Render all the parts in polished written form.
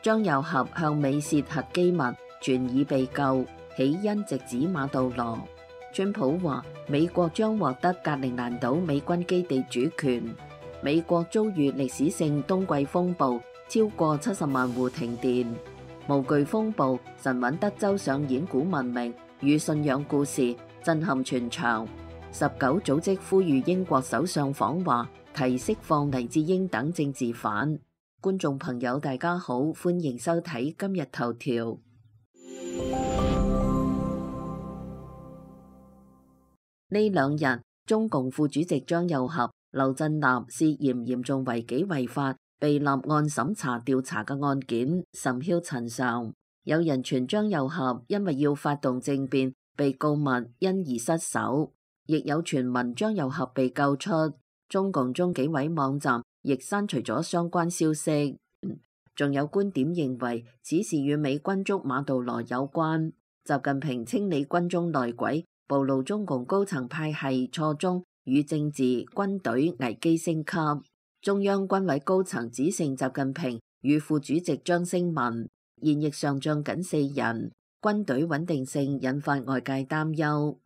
張又俠向美泄核機密，傳已被救，起因直指馬杜羅。川普話美國將獲得格陵蘭島美軍基地主權。美國遭遇歷史性冬季風暴，超過70萬戶停電。無懼風暴，神韻德州上演古文明與信仰故事，震撼全場。19組織呼籲英國首相訪華，提釋放黎智英等政治犯。觀眾朋友大家好，歡迎收睇今日頭條。呢兩日，中共副主席張又俠、劉振立涉嫌嚴重違紀違法，被立案審查調查嘅案件甚囂塵上。有人傳張又俠因為要發動政變，被告密因而失守，亦有傳聞張又俠被救出。中共中紀委網站亦刪除咗相關消息。仲有觀點認為此事與美軍捉馬杜羅有關。習近平清理軍中內鬼，暴露中共高層派系錯綜與政治軍隊危機升級。中央軍委高層指承習近平與副主席張升文，現役上將僅4人，軍隊穩定性引發外界擔憂。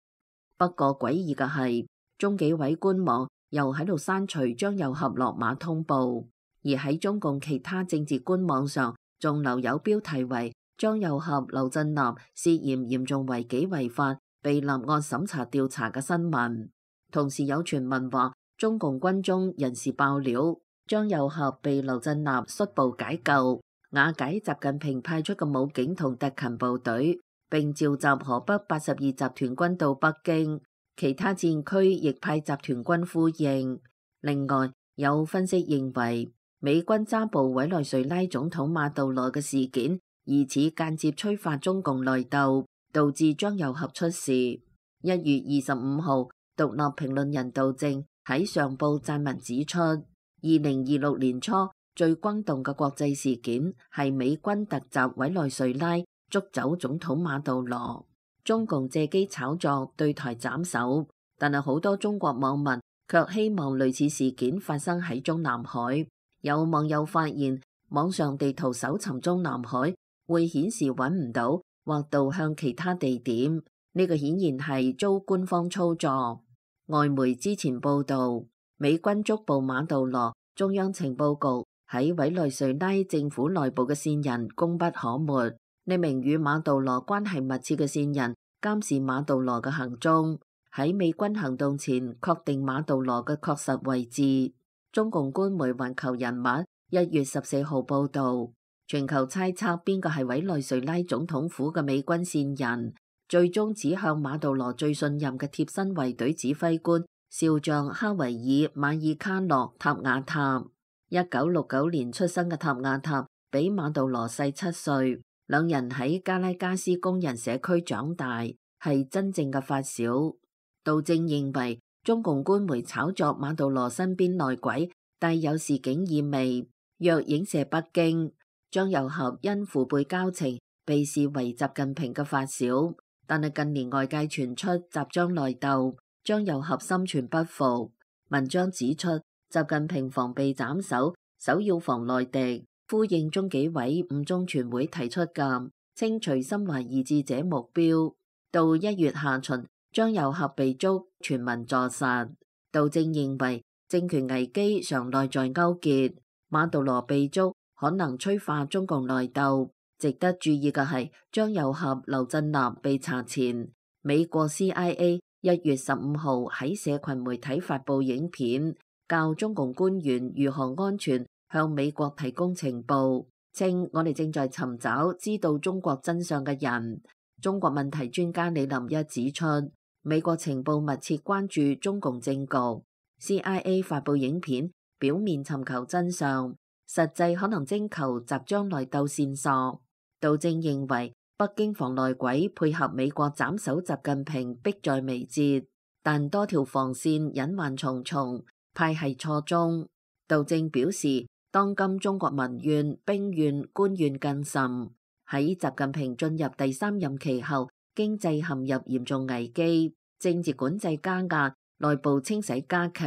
不過詭異嘅係，中紀委官網又喺度刪除張又俠落馬通報，而喺中共其他政治官網上仲留有標題為張又俠、劉振立涉嫌嚴重違紀違法，被立案審查調查嘅新聞。同時有傳聞話，中共軍中人士爆料，張又俠被劉振立率部解救，瓦解習近平派出嘅武警同特勤部隊，並召集河北82集團軍到北京，其他戰區亦派集團軍呼應。另外，有分析認為，美軍抓捕委內瑞拉總統馬杜羅嘅事件，疑似間接催發中共內鬥，導致張又俠出事。1月25號，獨立評論人杜正喺上報撰文指出，2026年初最轟動嘅國際事件係美軍突襲委內瑞拉，捉走總統馬杜羅。中共借機炒作對台斬首，但係好多中國網民卻希望類似事件發生喺中南海。有網友發現，網上地圖搜尋中南海會顯示揾唔到或導向其他地點，呢個顯然係遭官方操作。外媒之前報道，美軍捉捕馬杜羅，中央情報局喺委內瑞拉政府內部嘅線人功不可沒。呢名與馬杜羅關係密切嘅線人監視馬杜羅嘅行蹤，喺美軍行動前確定馬杜羅嘅確實位置。中共官媒環球人物1月14號報道，全球猜測邊個係委內瑞拉總統府嘅美軍線人，最終指向馬杜羅最信任嘅貼身衛隊指揮官少將哈維爾馬爾卡諾塔瓦塔。1969年出生嘅塔瓦塔比馬杜羅細7歲，兩人喺加拉加斯工人社區長大，係真正嘅發小。杜正認為，中共官媒炒作馬杜羅身邊內鬼，帶有示警意味，若影射北京。張又俠因父輩交情，被視為習近平嘅發小，但係近年外界傳出習張內鬥，張又俠心存不服。文章指出，習近平防備斬首，首要防內敵，呼應中紀委五中全會提出嘅清除心懷異志者目標。到1月下旬，張又俠被捉，全民坐實。杜正認為政權危機常內在勾結，馬杜羅被捉可能催化中共內鬥。值得注意嘅係，張又俠、劉振立被查前，美國 CIA 1月15號喺社群媒體發布影片，教中共官員如何安全向美國提供情報，稱我哋正在尋找知道中國真相嘅人。中國問題專家李林一指出，美國情報密切關注中共政局 ，CIA 發布影片，表面尋求真相，實際可能徵求習張內鬥線索。杜正認為，北京防內鬼配合美國斬首習近平迫在眉睫，但多條防線隱患重重，派系錯綜。杜正表示，當今中國民怨、兵怨、官怨更甚，喺習近平進入第3任期後，經濟陷入嚴重危機，政治管制加壓，內部清洗加劇，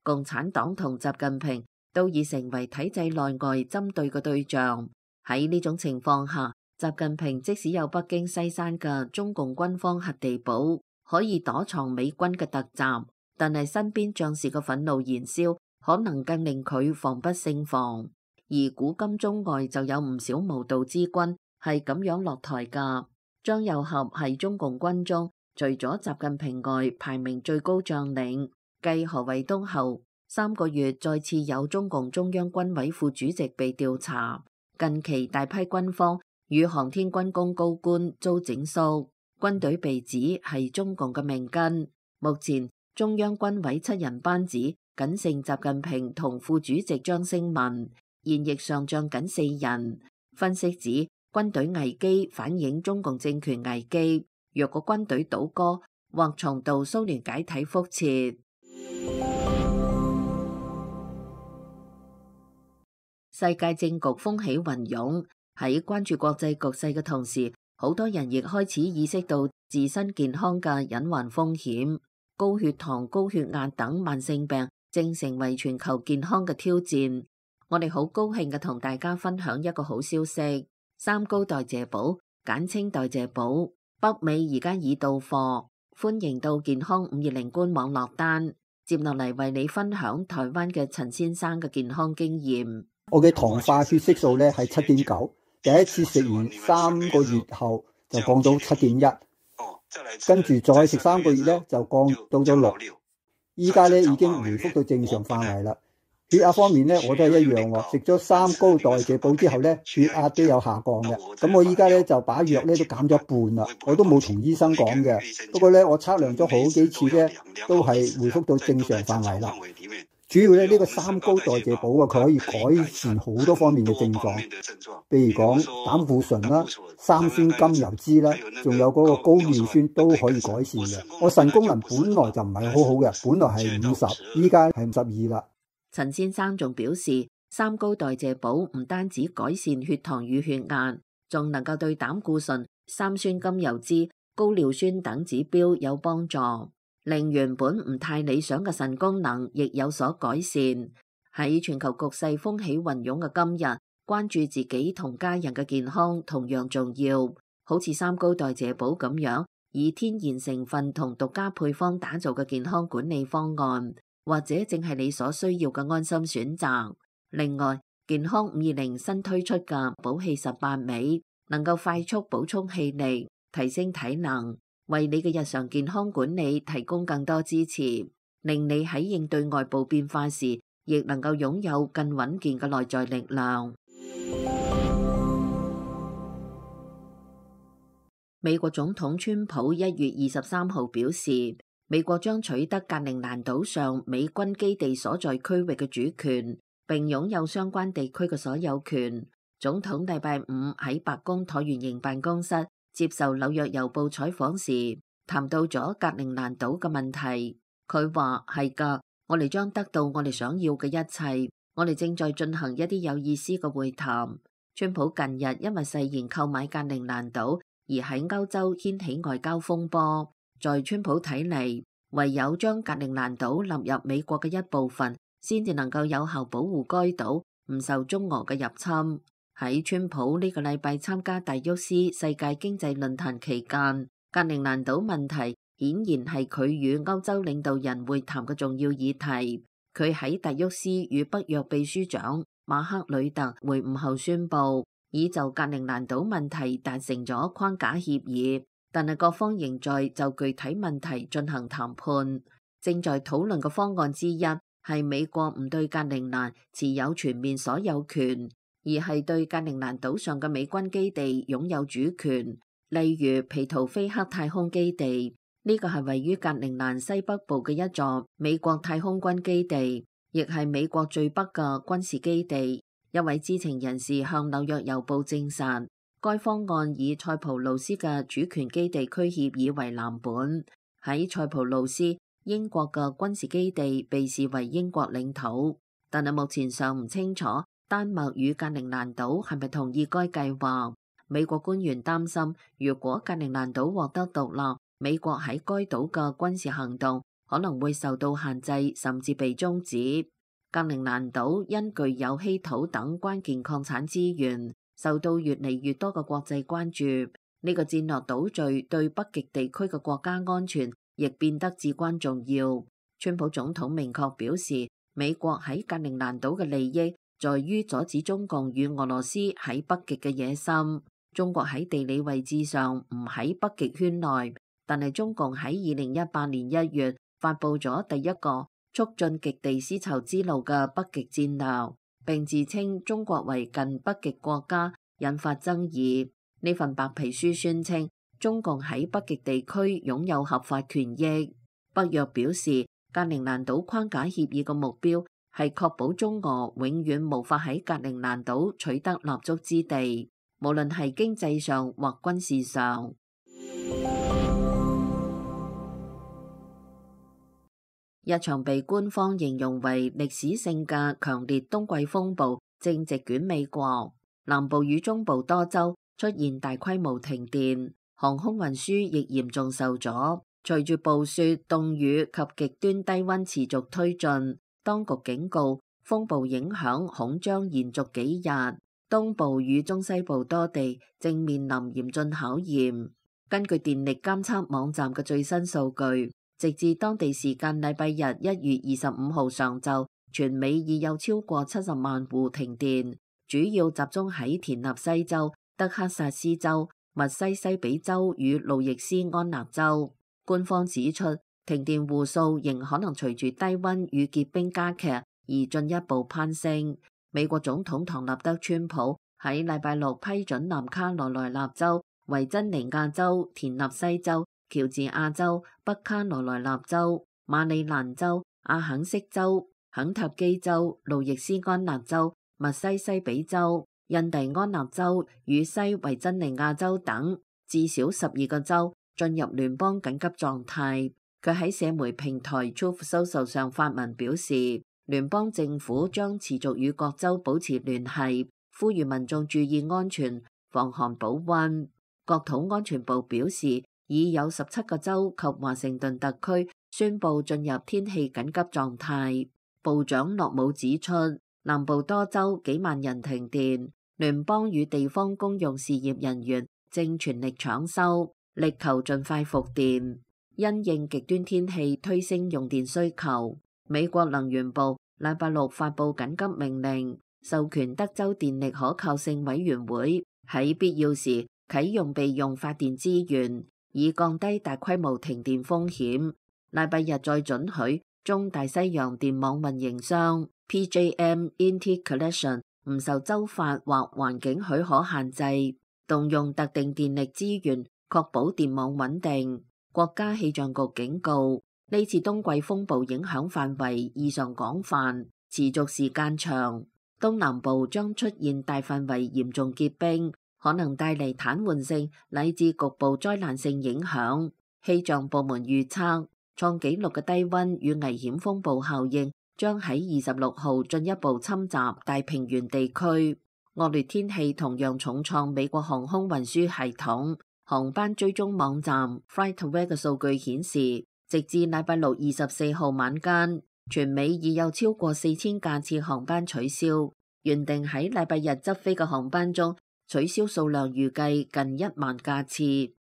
共產黨同習近平都已成為體制內外針對嘅對象。喺呢種情況下，習近平即使有北京西山嘅中共軍方核地堡，可以躲藏美軍嘅突襲，但係身邊將士嘅憤怒燃燒，可能更令佢防不勝防。而古今中外就有唔少無道之君係咁樣落台㗎。張又俠係中共軍中除咗習近平外排名最高將領，繼何衛東後，3個月再次有中共中央軍委副主席被調查。近期大批軍方與航天軍工高官遭整肅，軍隊被指係中共嘅命根。目前中央軍委7人班子僅剩習近平同副主席張勝文，現役上將僅4人。分析指軍隊危機反映中共政權危機，若果軍隊倒戈，或重蹈蘇聯解體覆轍。世界政局風起雲湧，喺關注國際局勢嘅同時，好多人亦開始意識到自身健康嘅隱患風險。高血糖、高血壓等慢性病正成為全球健康嘅挑戰。我哋好高興嘅同大家分享一個好消息：3高代謝寶，簡稱代謝寶，北美而家已到貨，歡迎到健康520官網落單。接落嚟為你分享台灣嘅陳先生嘅健康經驗。我嘅糖化血色素咧係7.9，第一次食完3個月後就降到7.1，跟住再食3個月咧就降到咗6，依家咧已經回復到正常範圍啦。血壓方面咧我都係一樣喎，食咗3高代謝寶之後咧血壓都有下降嘅。咁我依家咧就把藥咧都減咗一半啦，我都冇同醫生講嘅。不過咧我測量咗好幾次咧都係回復到正常範圍啦。主要咧呢個3高代謝寶啊，佢可以改善好多方面嘅症狀，譬如講膽固醇啦、三酸甘油酯啦，仲有嗰個高尿酸都可以改善嘅。我腎功能本來就唔係好好嘅，本來係50，依家係52啦。陳先生仲表示，3高代謝寶唔單止改善血糖與血壓，仲能夠對膽固醇、三酸甘油酯、高尿酸等指標有幫助。令原本唔太理想嘅腎功能亦有所改善。喺全球局勢風起雲湧嘅今日，關注自己同家人嘅健康同樣重要。好似3高代謝寶咁樣，以天然成分同獨家配方打造嘅健康管理方案，或者正係你所需要嘅安心選擇。另外，健康520新推出嘅寶氣18味，能夠快速補充氣力，提升體能，為你嘅日常健康管理提供更多支持，令你喺應對外部變化時，亦能夠擁有更穩健嘅內在力量。美國總統川普1月23號表示，美國將取得格陵蘭島上美軍基地所在區域嘅主權，並擁有相關地區嘅所有權。總統禮拜5喺白宮橢圓形辦公室接受紐約郵報採訪時，談到咗格陵蘭島嘅問題。佢話係㗎，我哋將得到我哋想要嘅一切。我哋正在進行一啲有意思嘅會談。川普近日因為誓言購買格陵蘭島而喺歐洲掀起外交風波。在川普睇嚟，唯有將格陵蘭島納入美國嘅一部分，先至能夠有效保護該島唔受中俄嘅入侵。喺川普呢個禮拜參加達沃斯世界經濟論壇期間，格陵蘭島問題顯然係佢與歐洲領導人會談嘅重要議題。佢喺達沃斯與北約秘書長馬克呂特會晤後宣布，已就格陵蘭島問題達成咗框架協議，但係各方仍在就具體問題進行談判。正在討論嘅方案之一係美國唔對格陵蘭持有全面所有權，而係對格陵蘭島上嘅美軍基地擁有主權，例如皮圖菲克太空基地。呢個係位於格陵蘭西北部嘅一座美國太空軍基地，亦係美國最北嘅軍事基地。一位知情人士向紐約郵報證實，該方案以塞浦路斯嘅主權基地區協議為藍本。喺塞浦路斯，英國嘅軍事基地被視為英國領土，但係目前尚唔清楚丹麥與格陵蘭島係咪同意該計劃。美國官員擔心，如果格陵蘭島獲得獨立，美國喺該島嘅軍事行動可能會受到限制，甚至被終止。格陵蘭島因具有稀土等關鍵礦產資源，受到越嚟越多嘅國際關注。呢個戰略島嶼對北極地區嘅國家安全亦變得至關重要。川普總統明確表示，美國喺格陵蘭島嘅利益在於阻止中共與俄羅斯喺北極嘅野心。中國喺地理位置上唔喺北極圈內，但係中共喺2018年1月發佈咗第一個促進極地絲綢之路嘅北極戰略，並自稱中國為近北極國家，引發爭議。呢份白皮書宣稱，中共喺北極地區擁有合法權益。北約表示，格陵蘭島框架協議嘅目標係確保中俄永遠無法喺格陵蘭島取得立足之地，無論係經濟上或軍事上。一場被官方形容為歷史性嘅強烈冬季風暴正席捲美國，南部與中部多州出現大規模停電，航空運輸亦嚴重受阻。隨住暴雪、凍雨及極端低溫持續推進，當局警告風暴影響恐將延續幾日。東部與中西部多地正面臨嚴峻考驗。根據電力監測網站嘅最新數據，直至當地時間禮拜日1月25號上晝，全美已有超過70萬戶停電，主要集中喺田納西州、德克薩斯州、密西西比州與路易斯安那州。官方指出，停電戶數仍可能隨住低溫與結冰加劇而進一步攀升。美國總統唐納德·川普喺禮拜六批准南卡羅來納州、維珍尼亞州、田納西州、喬治亞州、北卡羅來納州、馬里蘭州、阿肯色州、肯塔基州、路易斯安那州、密西西比州、印第安納州與西維珍尼亞州等至少12個州進入聯邦緊急狀態。佢喺社媒平台 Truth Social 上發文表示，聯邦政府將持續與各州保持聯繫，呼籲民眾注意安全、防寒保溫。國土安全部表示，已有17個州及華盛頓特區宣布進入天氣緊急狀態。部長諾姆指出，南部多州幾萬人停電，聯邦與地方公用事業人員正全力搶修，力求盡快復電。因應極端天氣推升用電需求，美國能源部禮拜六發布緊急命令，授權德州電力可靠性委員會喺必要時啟用備用發電資源，以降低大規模停電風險。禮拜日再准許中大西洋電網運營商 PJM Interconnection 唔受州法或環境許可限制，動用特定電力資源，確保電網穩定。國家氣象局警告，呢次冬季風暴影響範圍異常廣泛，持續時間長，東南部將出現大範圍嚴重結冰，可能帶嚟癱瘓性乃至局部災難性影響。氣象部門預測，創紀錄嘅低溫與危險風暴效應將喺26號進一步侵襲大平原地區。惡劣天氣同樣重創美國航空運輸系統。航班追蹤網站 FlightAware 嘅數據顯示，直至禮拜六24號晚間，全美已有超過4000架次航班取消。原定喺禮拜日執飛嘅航班中，取消數量預計近1萬架次，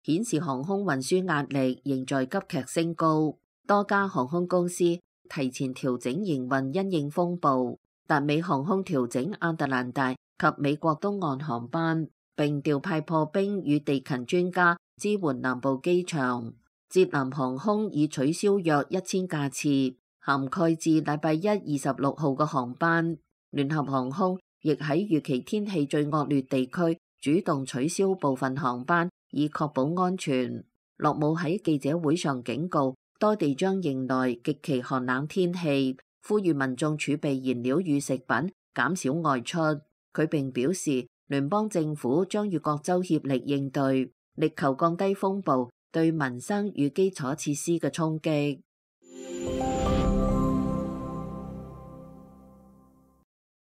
顯示航空運輸壓力仍在急劇升高。多家航空公司提前調整營運，因應風暴。達美航空調整亞特蘭大及美國東岸航班，並調派破冰與地勤專家支援南部機場。捷南航空已取消約1000架次，涵蓋至禮拜一26號嘅航班。聯合航空亦喺預期天氣最惡劣地區主動取消部分航班，以確保安全。洛姆喺記者會上警告，多地將迎來極其寒冷天氣，呼籲民眾儲備燃料與食品，減少外出。佢並表示，聯邦政府將與各州協力應對，力求降低風暴對民生與基礎設施嘅衝擊。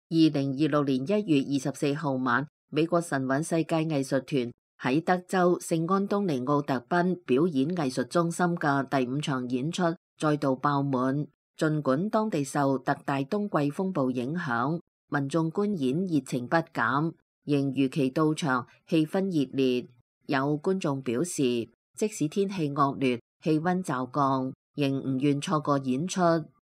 2026年1月24號晚，美國神韻世界藝術團喺德州聖安東尼奧特賓表演藝術中心嘅第5場演出再度爆滿。儘管當地受特大冬季風暴影響，民眾觀演熱情不減。仍如期到場，氣氛熱烈。有觀眾表示，即使天氣惡劣、氣溫驟降，仍唔願錯過演出。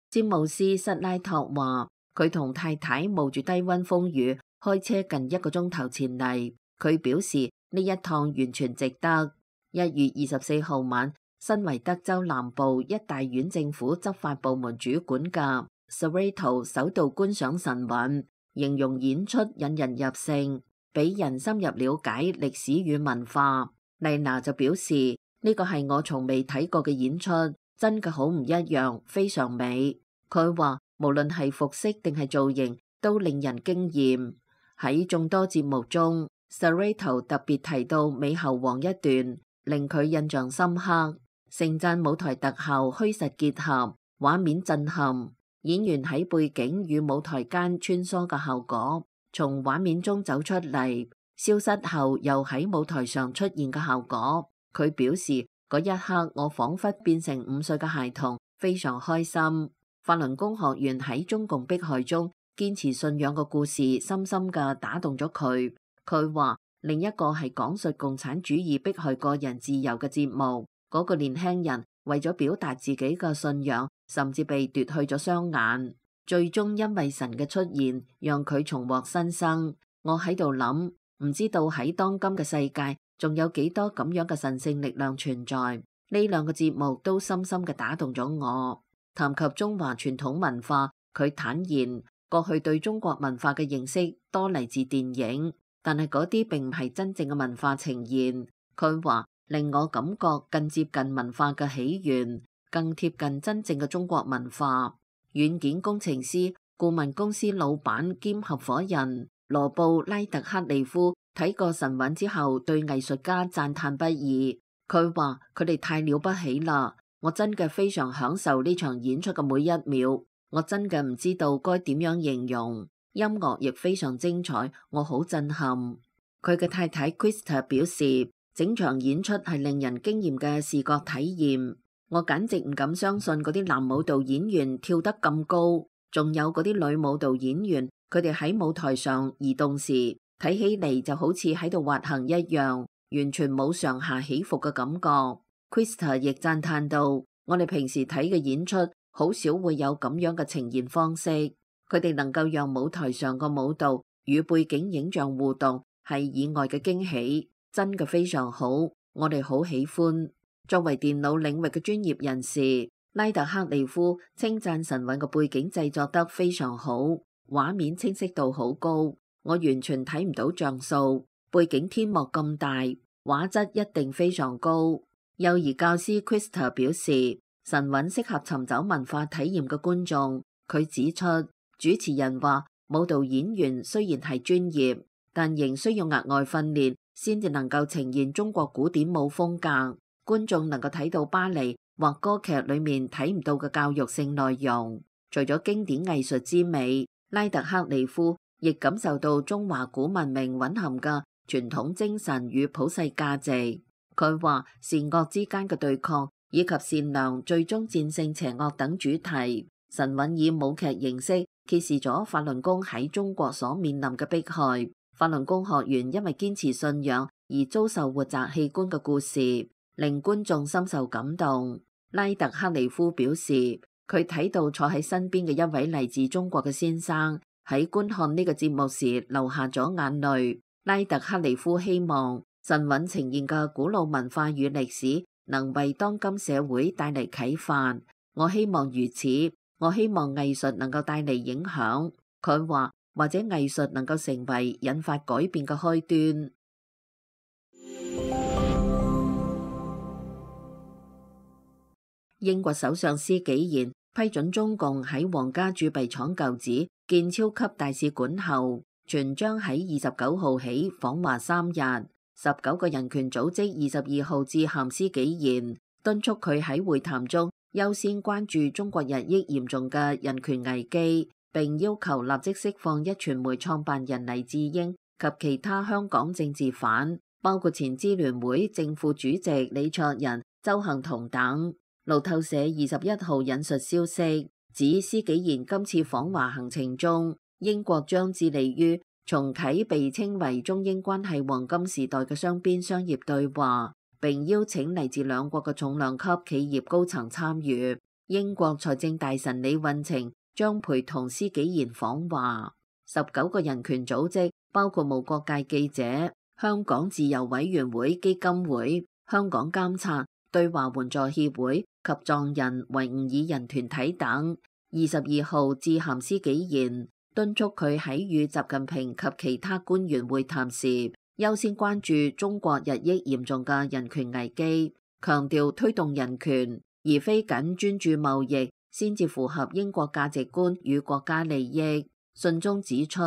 詹姆斯塞拉托話，佢同太太冒住低溫風雨開車近1個鐘頭前嚟。佢表示呢一趟完全值得。1月24號晚，身為德州南部一大縣政府執法部門主管嘅 Serrato 首度觀賞神韻，形容演出引人入勝，俾人深入了解歷史與文化。麗娜就表示，呢個係我從未睇過嘅演出，真嘅好唔一樣，非常美。佢話無論係服飾定係造型都令人驚豔。喺眾多節目中，Serrato 特別提到美猴王一段，令佢印象深刻。盛讚舞台特效虛實結合，畫面震撼。演員喺背景與舞台間穿梭嘅效果，從畫面中走出嚟，消失後又喺舞台上出現嘅效果。佢表示嗰一刻我仿佛變成5歲嘅孩童，非常開心。法輪功學員喺中共迫害中堅持信仰嘅故事，深深嘅打動咗佢。佢話另一個係講述共產主義迫害個人自由嘅節目，嗰個年輕人為咗表達自己嘅信仰，甚至被奪去咗雙眼，最終因為神嘅出現，讓佢重獲新生。我喺度諗，唔知道喺當今嘅世界，仲有幾多咁樣嘅神聖力量存在。呢2個節目都深深嘅打動咗我。談及中華傳統文化，佢坦言過去對中國文化嘅認識多嚟自電影，但係嗰啲並唔係真正嘅文化呈現。佢話令我感覺更接近文化嘅起源，更貼近真正嘅中國文化。軟件工程師、顧問公司老闆兼合夥人羅布拉特克利夫睇過神韻之後，對藝術家讚嘆不已。佢話佢哋太了不起啦！我真嘅非常享受呢場演出嘅每一秒，我真嘅唔知道該點樣形容。音樂亦非常精彩，我好震撼。佢嘅太太 Krista 表示，整場演出係令人驚豔嘅視覺體驗。我簡直唔敢相信嗰啲男舞蹈演員跳得咁高，仲有嗰啲女舞蹈演員，佢哋喺舞台上移動時，睇起嚟就好似喺度滑行一樣，完全冇上下起伏嘅感覺。Krista 亦讚嘆到，我哋平時睇嘅演出好少會有咁樣嘅呈現方式，佢哋能夠讓舞台上個舞蹈與背景影像互動，係意外嘅驚喜，真嘅非常好，我哋好喜歡。作為電腦領域嘅專業人士，拉特克利夫稱讚神韻嘅背景製作得非常好，畫面清晰度好高，我完全睇唔到像素，背景天幕咁大，畫質一定非常高。幼兒教師 Krista 表示，神韻適合尋找文化體驗嘅觀眾。佢指出，主持人話舞蹈演員雖然係專業，但仍需要額外訓練先至能夠呈現中國古典舞風格。觀眾能夠睇到芭蕾或歌劇裏面睇唔到嘅教育性內容。除咗經典藝術之美，拉特克利夫亦感受到中華古文明蘊含嘅傳統精神與普世價值。佢話善惡之間嘅對抗以及善良最終戰勝邪惡等主題，神韻以舞劇形式揭示咗法輪功喺中國所面臨嘅迫害。法輪功學員因為堅持信仰而遭受活摘器官嘅故事，令觀眾深受感動。拉特克利夫表示，佢睇到坐喺身邊嘅一位嚟自中國嘅先生喺觀看呢個節目時流下咗眼淚。拉特克利夫希望神韻呈現嘅古老文化與歷史能為當今社會帶嚟啟發。我希望如此，我希望藝術能夠帶嚟影響。佢話，或者藝術能夠成為引發改變嘅開端。英國首相施紀賢批准中共喺皇家鑄幣廠舊址建超級大使館後，傳將喺29號起訪華3日。19個人權組織22號致函施紀賢，敦促佢喺會談中優先關注中國日益嚴重嘅人權危機，並要求立即釋放壹傳媒創辦人黎智英及其他香港政治犯，包括前支聯會正副主席李卓人、鄒幸彤等。路透社21號引述消息指，施紀賢今次訪華行程中，英國將致力於重啟被稱為中英關係黃金時代嘅雙邊商業對話，並邀請嚟自兩國嘅重量級企業高層參與。英國財政大臣李運晴將陪同施紀賢訪華。19個人權組織包括無國界記者、香港自由委員會基金會、香港監察、對華援助協會及藏人維吾爾人團體等，22號致函施紀賢，敦促佢喺與習近平及其他官員會談時，優先關注中國日益嚴重嘅人權危機，強調推動人權，而非僅專注貿易，先至符合英國價值觀與國家利益。信中指出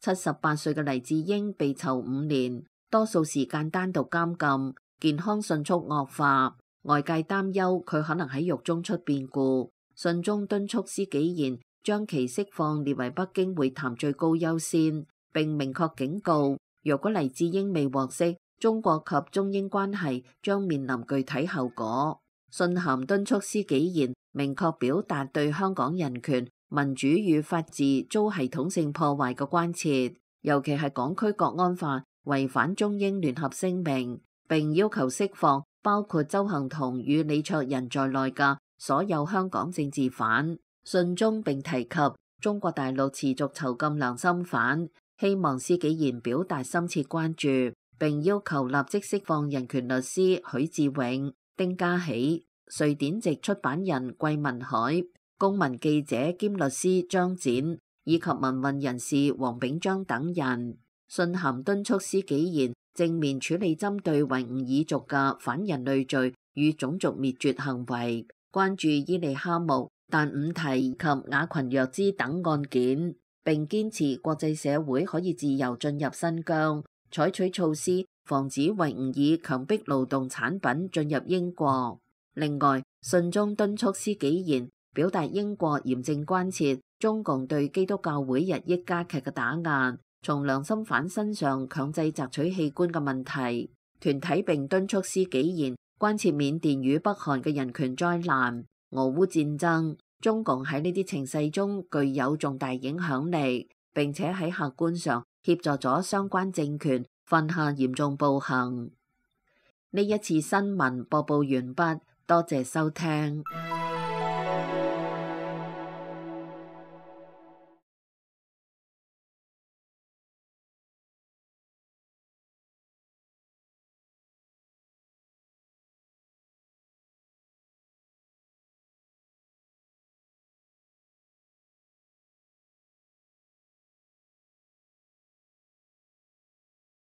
，78歲嘅黎智英被囚5年，多數時間單獨監禁，健康迅速惡化，外界擔憂佢可能喺獄中出變故。信中敦促施紀賢將其釋放列為北京會談最高優先，並明確警告，若果黎智英未獲釋，中國及中英關係將面臨具體後果。信函敦促施紀賢明確表達對香港人權、民主與法治遭系統性破壞嘅關切，尤其係港區國安法違反中英聯合聲明，並要求釋放包括鄒幸彤與李卓人在內嘅所有香港政治犯。信中並提及中國大陸持續囚禁良心犯，希望施紀賢表達深切關注，並要求立即釋放人權律師許志永、丁家喜、瑞典籍出版人桂民海、公民記者兼律師張展以及民運人士黃炳章等人。信函敦促施紀賢正面處理針對維吾爾族嘅反人類罪與種族滅絕行為，關注伊利哈木、但五提及雅群若茲等案件，並堅持國際社會可以自由進入新疆，採取措施防止維吾爾強迫勞動產品進入英國。另外，信中敦促施紀賢表達英國嚴正關切中共對基督教會日益加劇嘅打壓，從良心犯身上強制摘取器官嘅問題。團體並敦促施紀賢關切緬甸與北韓嘅人權災難、俄烏戰爭，中共喺呢啲情勢中具有重大影響力，並且喺客觀上協助咗相關政權犯下嚴重暴行。呢一次新聞播報完畢，多謝收聽。